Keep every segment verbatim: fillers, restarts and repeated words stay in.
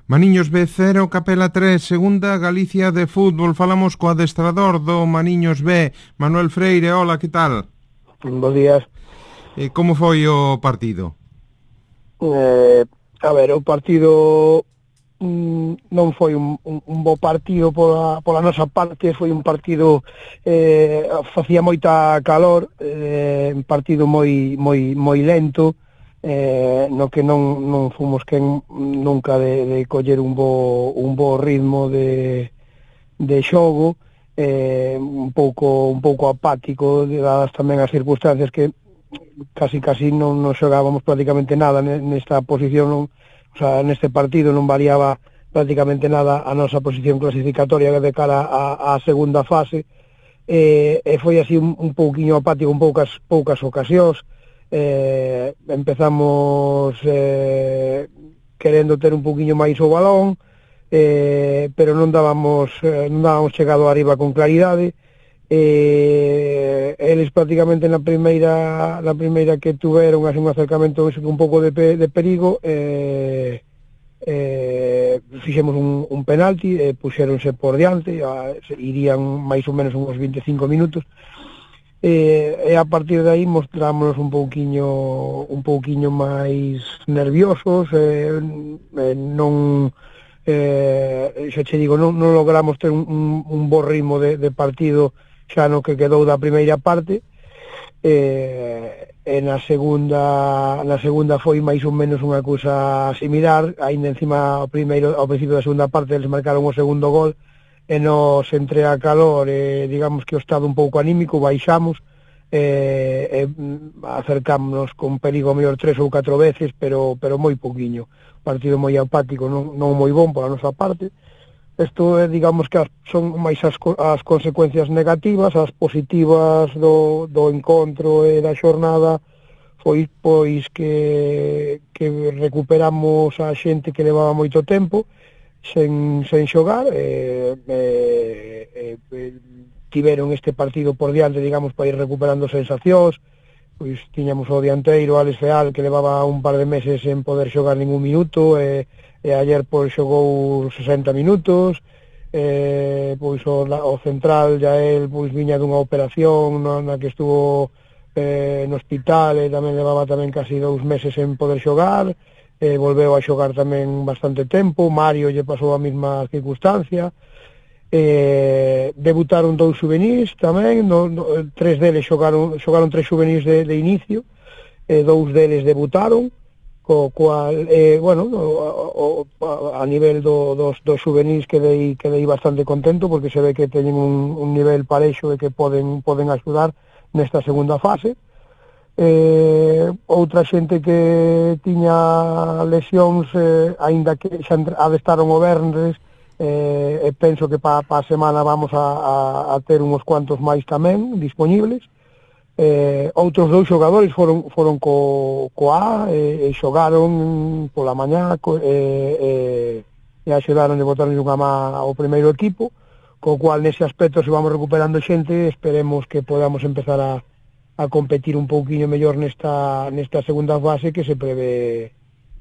Maniños B cero, Capela tres, segunda Galicia de fútbol. Falamos co adestrador do Maniños B, Manuel Freire. Hola, que tal? Bos días. E como foi o partido? Eh, a ver, o partido mm, non foi un, un, un bo partido pola, pola nosa parte, foi un partido eh, facía moita calor, eh, un partido moi moi moi lento, eh, no que non, non fomos quen nunca de, de coller un bo, un bo ritmo de, de xogo, eh, un pouco un pouco apático, dadas tamén as circunstancias que casi casi non, non xogábamos prácticamente nada nesta posición, non, o sea, neste partido non variaba prácticamente nada a nosa posición clasificatoria de cara á, á segunda fase, e, e foi así un, un pouquiño apático, un poucas poucas ocasións. Eh, empezamos eh, querendo ter un pouquiño máis o balón, eh, pero non dábamos eh, non dábamos chegado arriba con claridade. Eh, eles prácticamente na primeira na primeira que tuveron así un acercamento un pouco de, pe, de perigo, eh, eh, fixemos un, un penalti, eh, puxéronse por diante, a, irían máis ou menos uns veinticinco minutos, e, e a partir de aí mostrámonos un pouquiño un pouquiño máis nerviosos, eh, eh, non eh, xa che digo, non, non logramos ter un, un, un bo ritmo de, de partido xa no que quedou da primeira parte, eh, e na segunda na segunda foi máis ou menos unha cousa similar, aínda encima ao primeiro ao principio da segunda parte eles marcaron o segundo gol e nos entre a calor e digamos que o estado un pouco anímico baixamos, e, e acercámonos con perigo mellor tres ou catro veces, pero pero moi pouquiño, partido moi apático, non, non moi bon pola nosa parte. Isto é, digamos que as, son máis as, as consecuencias negativas. As positivas do, do encontro e da xornada foi pois que, que recuperamos a xente que levaba moito tempo sen, sen xogar, e, e, e, tiveron este partido por diante, digamos, para ir recuperando sensacións. Pois tiñamos o dianteiro Alex Feal, que levaba un par de meses sen poder xogar ningún minuto, e e ayer pois xogou sesenta minutos, eh, pois o, o central ya el pois viña dunha operación na, na que estuvo eh, no hospital, e tamén levaba tamén casi dous meses sen poder xogar, eh, volveu a xogar tamén bastante tempo. Mario lle pasou a mesma circunstancia, eh, debutaron dous juvenís tamén, no, no, tres deles xogaron, xogaron tres juvenís de, de inicio, e dous deles debutaron, co cual, eh, bueno, o, o, a nivel do, dos, dos juvenís quedei, quedei bastante contento, porque se ve que teñen un, un nivel parexo e que poden, poden axudar nesta segunda fase. Eh, outra xente que tiña lesións, eh, aínda que xa adestaron o venres, eh, e penso que pa, pa a semana vamos a, a, a ter uns cuantos máis tamén disponibles. Eh, outros dous xogadores foron foron co, co A, e, e xogaron pola mañá, co, e, e, e axudaron de botarnos unha má ao primeiro equipo, co cual nese aspecto se vamos recuperando xente, esperemos que podamos empezar a, a competir un pouquiño mellor nesta nesta segunda fase que se prevé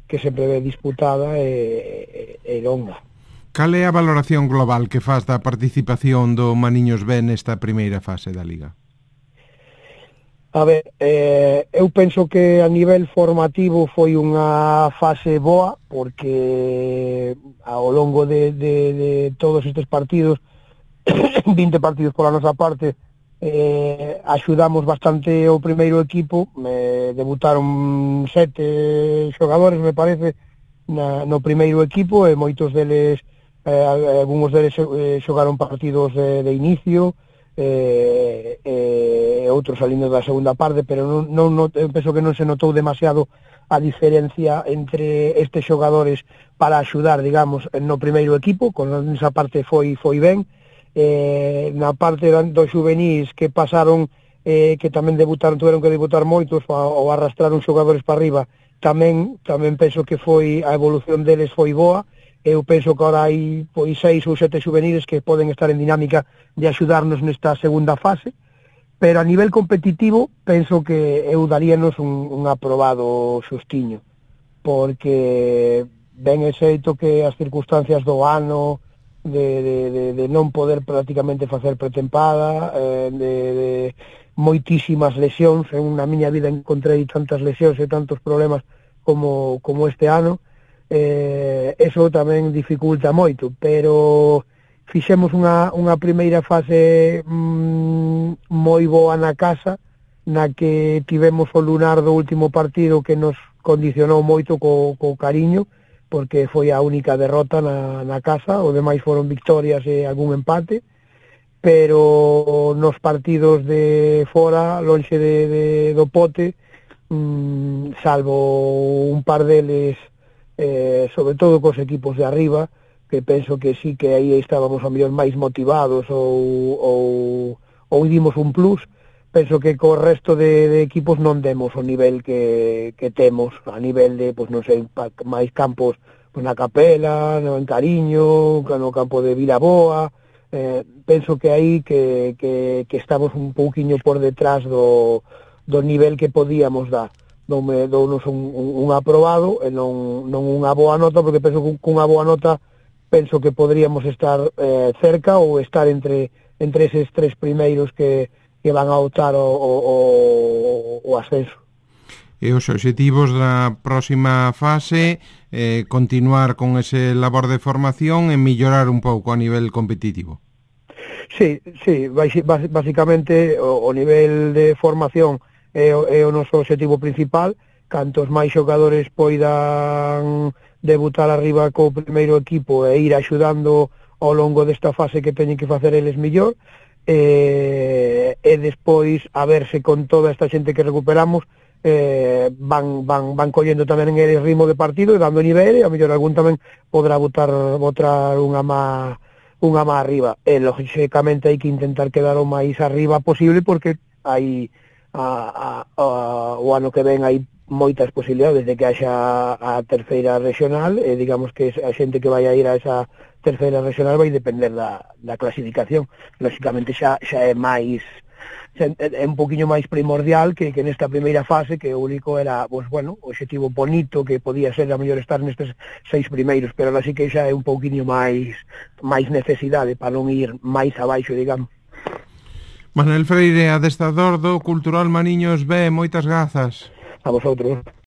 que se prevé disputada e, e, e longa. Cal é a valoración global que faz da participación do Maniños B nesta primeira fase da Liga? A ver, eh, eu penso que a nivel formativo foi unha fase boa, porque ao longo de, de, de todos estes partidos, vinte partidos pola nosa parte, eh, axudamos bastante o primeiro equipo. Me debutaron sete xogadores, me parece, na, no primeiro equipo, e moitos deles, eh, algúns deles eh, xogaron partidos de, de inicio, e eh, eh, outros salindo da segunda parte, pero non, non, non, eu penso que non se notou demasiado a diferencia entre estes xogadores para axudar, digamos, no primeiro equipo. Con esa parte foi foi ben. Eh, na parte dos juvenís que pasaron, eh, que tamén debutaron, tuveron que debutar moitos, ou arrastraron xogadores para arriba, tamén tamén penso que foi a evolución deles foi boa. Eu penso que agora hai pois seis ou sete juveniles que poden estar en dinámica de axudarnos nesta segunda fase, pero a nivel competitivo penso que eu daríanos un, un aprobado xustiño, porque ben é xeito que as circunstancias do ano de, de, de, de non poder prácticamente facer pretempada, eh, de, de moitísimas lesións, en na miña vida encontrei tantas lesións e tantos problemas como, como este ano, eh, eso tamén dificulta moito, pero fixemos unha, unha primeira fase mm, moi boa na casa, na que tivemos o lunar do último partido que nos condicionou moito co, co cariño, porque foi a única derrota na, na casa, o demais foron victorias e algún empate, pero nos partidos de fora, lonxe de, de, do pote, mmm, salvo un par deles, eh, sobre todo cos equipos de arriba, que penso que sí que aí estábamos a mellor máis motivados ou, ou, ou dimos un plus, penso que co resto de, de equipos non demos o nivel que, que temos, a nivel de, pois non sei, máis campos pois na Capela, no en Cariño, no campo de Vilaboa, eh, penso que aí que, que, que estamos un pouquiño por detrás do, do nivel que podíamos dar. Doume, dounos un, un, un aprobado e non, non unha boa nota, porque penso que unha boa nota penso que podríamos estar eh, cerca ou estar entre, entre eses tres primeiros que que van a optar o, o, o ascenso. E os obxectivos da próxima fase, eh, continuar con ese labor de formación e mellorar un pouco a nivel competitivo. Sí, sí, basicamente o, o nivel de formación é o, é o noso obxectivo principal. Cantos máis xogadores poidan debutar arriba co primeiro equipo e ir axudando ao longo desta fase que teñen que facer eles mellor, e, e despois a verse con toda esta xente que recuperamos eh, van, van, van collendo tamén en el ritmo de partido e dando nivel, e a mellor algún tamén podrá botar, botar unha má unha má arriba, e lógicamente hai que intentar quedar o máis arriba posible, porque hai a, a, a, o ano que ven hai moitas posibilidades de que haxa a terceira regional, e digamos que a xente que vai a ir a esa terceira regional vai depender da, da clasificación. Lógicamente xa, xa é máis, xa é un poquinho máis primordial que, que nesta primeira fase, que o único era, pues, bueno, o objetivo bonito que podía ser a mellor estar nestes seis primeiros, pero así que xa é un poquinho máis máis necesidade para non ir máis abaixo, digamos. Manuel Freire, adestrador do Cultural Mariños B, moitas grazas. A vosotros.